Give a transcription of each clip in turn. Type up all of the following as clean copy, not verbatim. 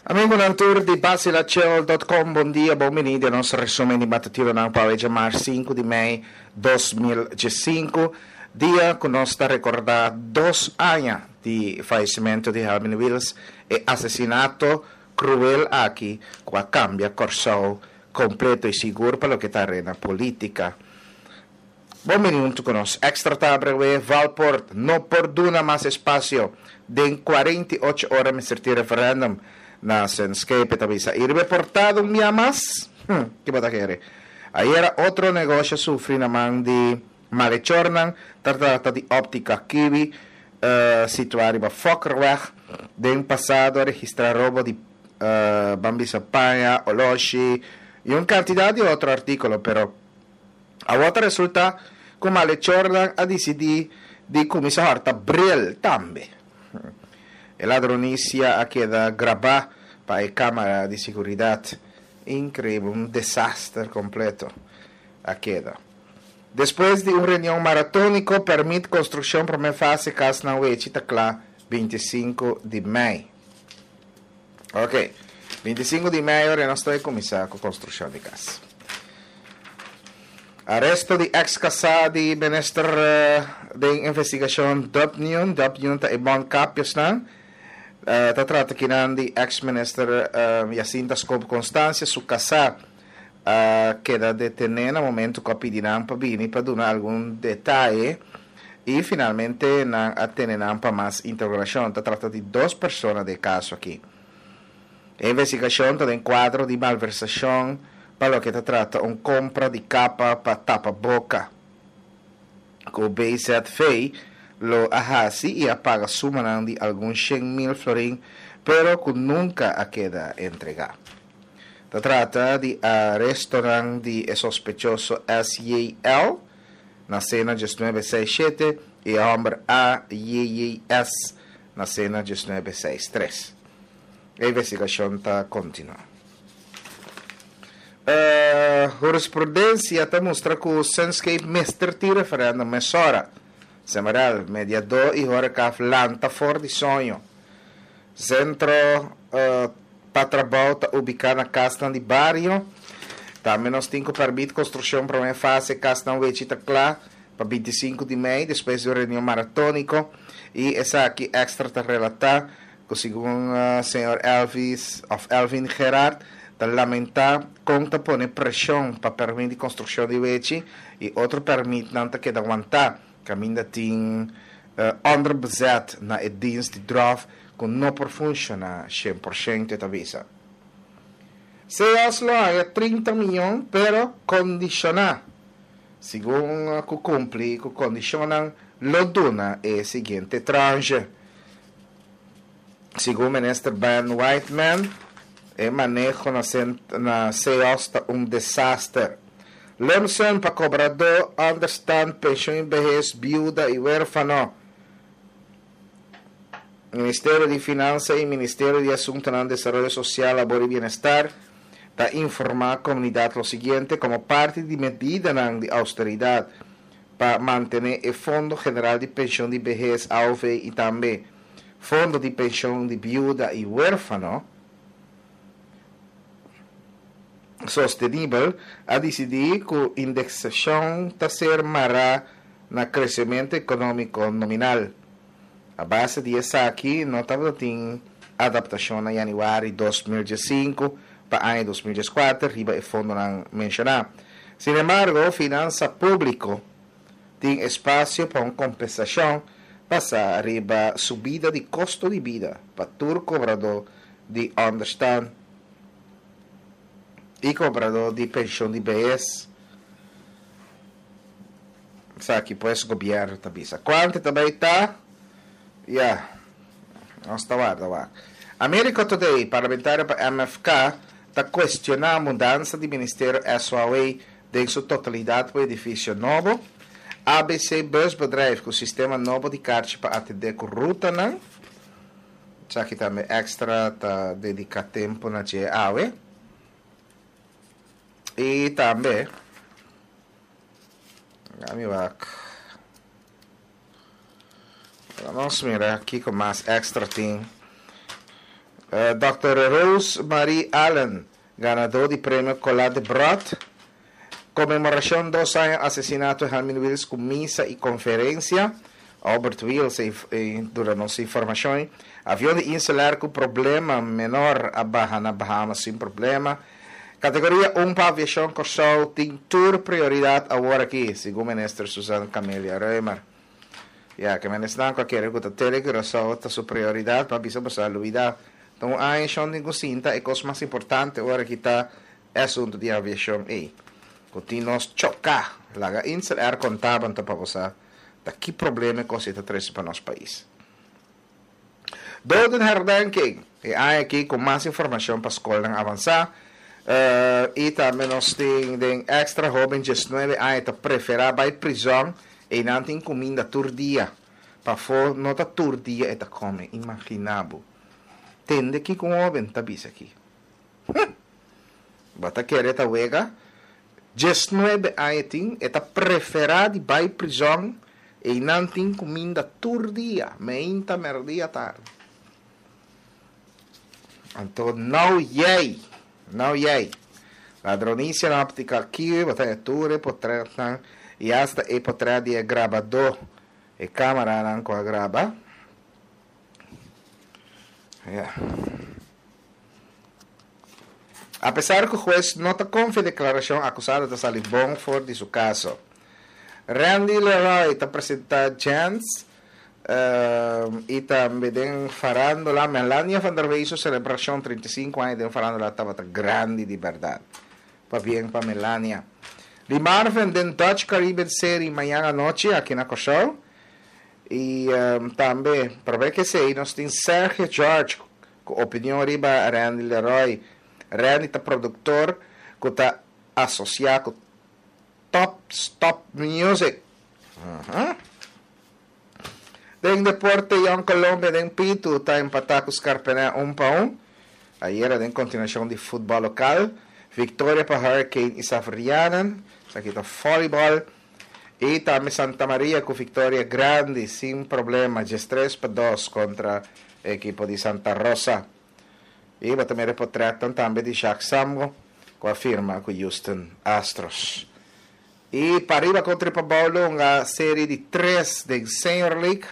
Amigonan tur di Basilachel.com, bon dia, bon bini den nos resumen di matutinonan pa awe djamars 5 di mei 2015, dia ku nos ta rekordá dos aña di fayesimentu di Helmin Wiels, e asesinato kruel aki ku a kambia Kòrsou kompleto i sigur pa loke ta arena polítika. Bon bini huntu ku nos. Extra ta abrewé, Valpoort no por duna mas espasio. Den 48 ora mester tin referendum na Senscape, e ta bisa. I riba e portada un bia mas? Hm, ki bo ta kere? Ayera otro negoshi a sufri na man di malechornan, ta trata di Optica Kiwi, situá riba Fokkerweg. Den pasado a registrá robo di, ban bisa paña, oloshi i un kantidat di otro artíkulo, pero. Awor ta resulta ku malechornan a disidí di kuminsá hòrta bril tambe. E ladronisia a keda grabá pa e kámara di siguridat. Inkreibel, un desaster kompleto a keda. Despues di un reunion maratóniko, pèrmit konstrukshon promé fase kas na Wechi ta kla 25 di mei. Ok, 25 di mei ora nos ta kuminsá ku konstrukshon di kas. Aresto di ex kasá di minister den investigashon Dubnion. Dubnion ta e bon kapiosnan. Ta trata kinan di ex minister Jacinta Scope Constancia. Su kasá a keda detené na momento ku a pidi nan pa bini pa duna algun detaye. I finalmente nan a tene nan pa mas interogashon. Ta trata di dos persona den e kaso aki. E investigashon ta den kuadro di malversashon pa loke ta trata un kompra di kapa pa tapa boka ku BZV lo a hasi i a paga sumanan di algun 100.000 florin pero ku nunka a keda entregá. Ta trata di arestonan di e sospechoso SJL. Nasé na diesnuebe seis shete i e hòmber AJJS nasé na diesnuebe seis tres. E investigashon ta kontinuá. Hurisprudensia ta mustra ku Sunscape mester tin referèndum mesora. Semerel, mediadó i horecaf lanta for di soño. Sentro pa trabou ta ubiká na kasnan di bario. Tambe nos tin ku pèrmit konstrukshon promé fase kasnan wechi ta kla pa 25 di mei despues di un reunion maratóniko i esaki èkstra ta relatá ku segun señor Elvis òf Elvin Gerard ta lamentá kon ta pone preshon pa pèrmit di konstrukshon di wechi i otro pèrmitnan ta keda wantá. Kaminda tin onderbezet na e dienst di dròf ku no por funshoná 100%, e ta bisa. CEOs lo haña 30 mion pero kondishoná. Segun ku kumpli ku kondishonnan lo duna e siguiente tranche. Segun minister Ben Whiteman, e maneho na na CEOs ta un desaster. Lumsum pa kobradó, ònderstant, penshun i behes, biuda i wérfano. Ministerio di Finansa i Ministerio di Asuntonan Desaroyo Sosial, Labor i Bienestar ta informá komunidat lo siguiente, komo parti di medidanan di ousteridat pa mantené e Fondo General di Penshun di Behes, AOV, i tambe Fondo di Penshun di Biuda i Wérfano, sostenibel, a disidí ku indeksashon ta ser mará na kresementu ekonómiko nominal. A base di esaki no tabata tin adaptashon na yanüari 2015 pa aña 2014 riba e fondonan menshoná. Sin embargo, finansa públiko tin espasio pa un kompensashon basá riba subida di kosto di bida pa tur kobradó di ònderstan i kobradó di penshon di behes. Esaki pues gobièrnu ta bisa. Kuantu ta bai ta? Ya, nos ta warda wak. Americo Today, parlamentario pa MFK, ta kuestioná mudansa di ministerio SOAW den su totalidat pa edifisio nobo. ABC Busbedrijf ku sistema nobo di karchi pa atendé ku rutanan. Esaki tambe Extra ta dediká tempu na dje awe. I tambe, mi wak. Nos mira kiko mas Extra tin. Dòkter Rose Marie Allen, ganadó di premio Colá de Brot. Konmemorashon dos aña asesinato Helmin Wiels ku misa i konferensia. Albert Wiels a duna nos informashon. Avion di Inselair ku problema menor a baha na Bahamas sin problema. Kategoria un pa Aviashon Kòrsou tin tur prioridat awor aki, segun Minister Susan Camelia Römer. Ya, ke menesnan ku a kere ku ta Tele Curaçao ta su prioridat, pa bisa boso a lubida. Ta un aña shon tin ku sinta, e kos mas importante ora ki ta e asuntu di aviashon ei. Ku tin nos choká. Laga Insel Air konta bo anto pa bo sa ta ki problema e kos ei ta trese pa nos pais. Dodenherdenking, e aña aki ku mas informashon pa skolnan avansá. I tambe nos tin den extra hoben 19 aña ta preferá bai prizòn. Einan tin kuminda tur dia. Pafó no ta tur dia e ta kome, imaginá bo. Tende kiko un hóben ta bisa aki. Hm! Bo ta kere ta wega? 19 aña e tin, e ta preferá di bai prizòn, einan tin kuminda tur dia, meinta, mèrdia, tardi. Anto nou yei, nou yei. Ladronisia na optica aki, bo ta e tur e potretnan y hasta e potret di e grabadó, e camaranan cu a graba. Ya. Apesar cu hues no ta confia declaracion, acusado ta sali bon for di su caso. Randy Leroy ta presenta Jens Y tambe den farandola, Melania van der Wey su celebracion 35 aña den farandola tabata grandi di berdad. Pabien pa Melania. Lee Marvin den Dutch Caribbean Serie mañan anochi aki na Kòrsou. Y tambe, prome ke esey, nos tin Sergio George cu opinion riba Randy Leroy. Randy ta productor cu ta asocia cu Top Stop Music. Den deporte Jong Colombia den Pitu ta empatá ku Scarpené un pa un. Ayera den kontinuashon di futbòl lokal, viktoria pa Hurricane i Saverianen. Esaki ta vòlibòl. I tambe Santa Maria ku viktoria grandi sin problema 13-2 kontra ekipo di Santa Rosa. I bo ta mira e potretnan tambe di Jacques Samgo ku a firma ku Houston Astros. I pariba kontra i pabou lo hunga seri di tres den Senior League.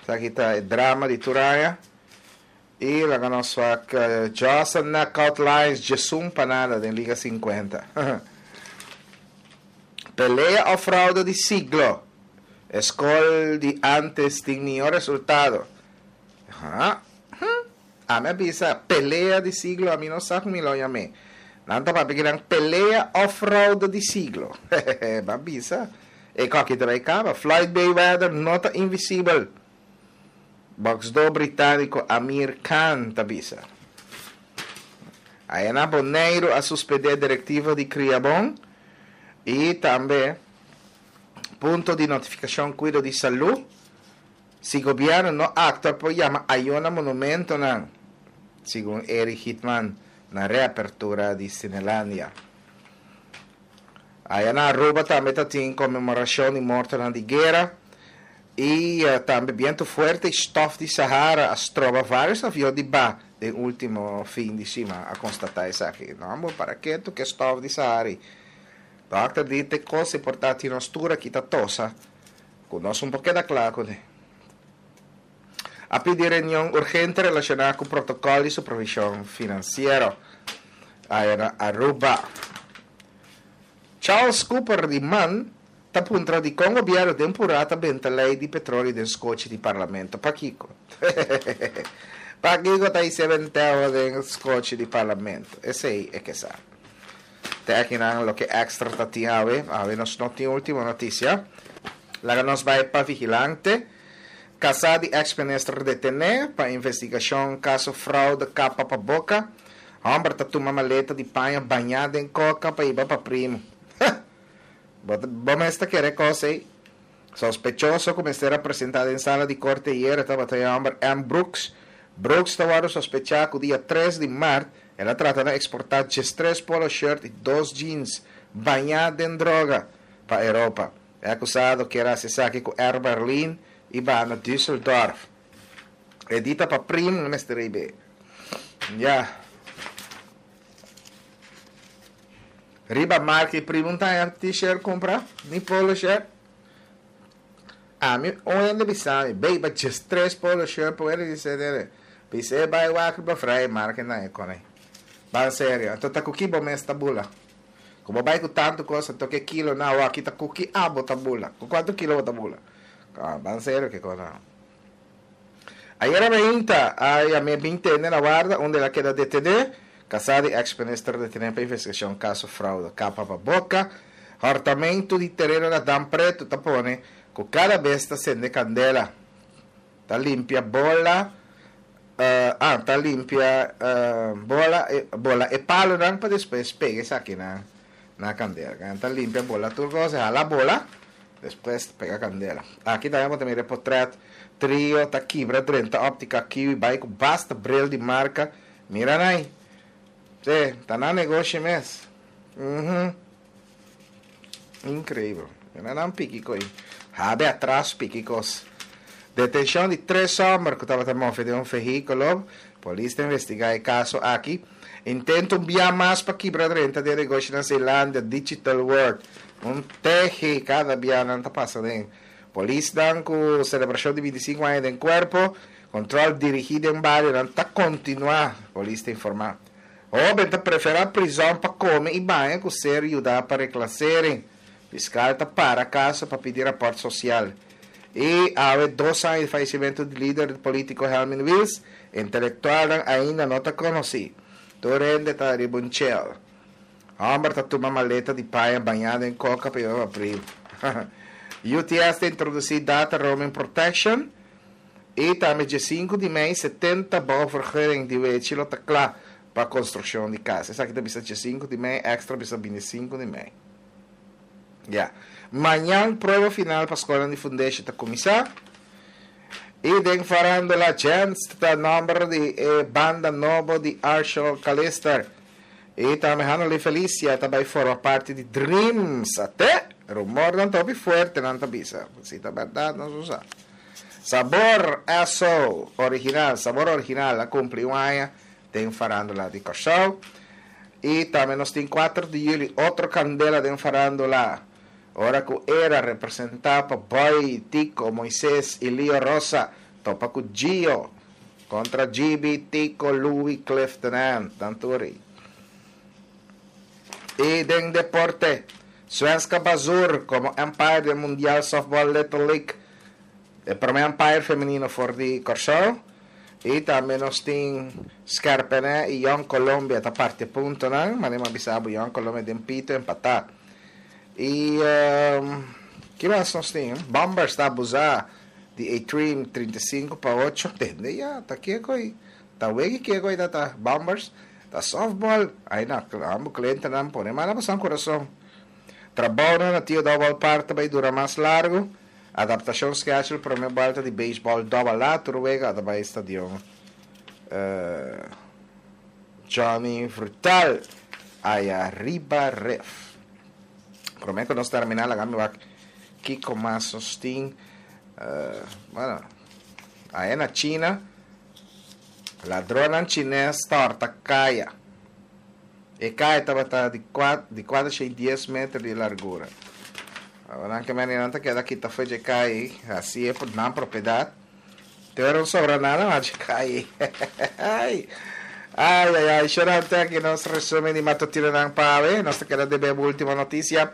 Esaki ta e drama di tur aña. I laga nos wak Jaws a knockout Lions 11 pa nada den Liga 50. Pelea of fraude di siglo? E skol di antes tin mihó resultado. Ha? Hm. Ami a bisa pelea di siglo, ami no sa ku mi lo yam'é. Nan ta papia kinan pelea of fraude di siglo. Hehehe, b'a bisa. E koki ta bai kaba. Floyd Mayweather no ta invisibel. Boxdor britániko Amir Khan ta bisa. Aya na Boneiru a suspendé direktiva di Kriabon i tambe punto di notifikashon kuido di salú. Si gobierno no actua por yama ayo na monumentonan, segun Eric Hitman na reapertura di Cinelandia. Aya na Aruba tambe ta tin conmemoracion di mortonan di guera y tambe biento fuerte y stof di Sahara a stroba varios avion di ba den ultimo fin di sima, a constata esaki. No amor, para ketu ke stof di Sahara y Dokter di te cos e por ta tin nos tur aki ta tosa. Ku nos un por keda kla kuné. A pidi reunion urgente relashoná ku protokòl di supervishon finansiero aya na Aruba. Charles Cooper di man ta puntra dikon gobièrnu den purá ta benta lei di petroli den skochi di parlamento. Pakiko? Pakiko ta hise benteo den skochi di parlamento? Esei e ke sa. Te akinan loke extra ta tin awe. Awe nos no tin ultimo noticia. Laga nos bai pa Vigilante. Casa di ex minister detene pa investigacion caso fraude capa pa boca. Homber ta tuma maleta di paña baña den coca pa hiba pa primo. Bo bo mes ta kere cos ey? Sospechoso cu mester a presenta den sala di corte ayera tabata e homber M. Brooks. Brooks ta wordo sospecha cu dia 3 di maart El a trata na eksportá 13 polo shirt i dos jeans bañá den droga pa Europa. E akusado kier hasi esaki ku Air Berlin i baha na Düsseldorf. E di ta pa prim mester rib'é. Ya. Riba marka i prima un taña t-shirt kumpra, ni polo shirt. Ami un hende bisa mi, bey ba djes tres polo shirt pa wende di cdr. Bis'é bai wak riba vrij marka nan e kone. Ban serio, anto ta ku ki bo mes ta bula? Ku bo bai ku tantu kos anto ke kilo nan awor aki ta ku ki abo ta bula? Ku kuantu kilo bo ta bula? Ban serio ke kos nan. Ayera mainta a yam'é bin tende na warda unda el a keda detené. Kasá di eks minister detené pa investigashon kaso fraude kapa pa boka. Hòrtamentu di tereno na Dam Pretu ta pone ku kada bes ta sende kandela. Ta limpia bola ah ta limpia bola bola e palunan pa despues pega esakinan na kandela. Ta limpia bola tur kos e hala bola. Despues ta pega candela. Aki tambe bo ta mira e potret. Trio ta kibra drenta Optica Kiwi bai cu basta bril di marca. Mira nai. Sí, ta nan negoshi mes. Mhm. Increibel. Mira nan piki coi. Habe atras piki cos. Detencion di tres homber cu tabata move den un vehiculo. Polis ta investiga e caso aki. Intento un bia mas pa kibra drenta den negoshi na Zeelandia, Digital World. Un tehi kada bia nan ta pasa den. Polisnan ku selebrashon di 25 aña den kuerpo, kontrol dirigí den barionan ta kontinuá, polis ta informá. Hóben ta preferá prizòn pa kome i baña ku ser yudá pa reklasering. Fiskal ta para kaso pa pidi rapòrt sosial. I awe dos aña di fayesimentu di lider polítiko Helmin Wiels, intelektualnan ainda no ta konosí. Tur hende ta riba un chel. Hòmber ta tuma maleta di paña bañá den koka pa yuda abril. UTS ta introdusí Data Roaming Protection i tambe dje sinku di mei 70 bouwvergunning di wechi lo ta kla pa konstrukshon di kas. Esaki ta bisa dje sinku di mei, èkstra bisa bini sinku di mei. Ya. Mañan prueba final pa skolnan di fundeshi ta kuminsá. I den farándula Gents ta nòmber di e banda nobo di Arshel Calister. I tambe Hannelie Felicia ta bai forma parti di Dreams. Ate! Rumornan ta hopi fuerte nan ta bisa. Si ta bèrdat nos no sa. Sabor Esso Original, Sabor Original a kumpli un aña den farándula di Kòrsou. I tambe nos tin kuater di yüli otro kandela den farándula ora ku Era representá pa Boy, Tico, Moises i Lio Rosa topa ku Gio kontra Gibi, Tico, Louis, Clifton Ant, nan tur ei. I den deporte, Svenska Bazur komo umpire den Mundial Softball Little League, e promé umpire femenino for di Kòrsou. I tambe nos tin Skerpene i Jong Colombia ta parti e puntonan. Manera mi a bisa bo Jong Colombia den pito empatá. I ki mas nos tin? Bombers ta abusá di A-Trim 35-8. Tende ya, ta kiko ei? Ta wegi kiko ei ta ta Bombers? Ta softball. Ai na, ambo klientenan pone man na bosan kurason. Trabounan na Tio Double Park ta bai dura mas largu. Adaptashon schedule prome buelta di beisbòl Double A tur wega ta bai stadion Johnny Frutal aya riba ref. Prome ku nos terminá laga mi wak kiko mas nos tin. Bueno, aya na China ladronnan chines ta hòrta kaya. E kaya tabata di di kuater shei dies meter di largura. Nan ke meninan ta keda kita fo'i dje kaya ei, hasié por nan propiedat. Te ora no sobra nada mas dje kaya ei. Ai, ai, ai, shorante aki nos resumen di matutinonan pa awe. Nos ta keda debe bo ultimo notisia.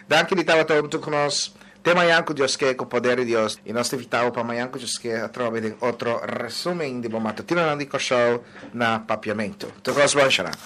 Danki di tabata huntu ku nos. Te mañan ku Dios ke, ku poder di Dios. I nos ta invitá bo pa mañan ku Dios ke atrobe den otro resumen di bo matutinonan di Kòrsou na Papiamentu. Tur kos bon, shorante.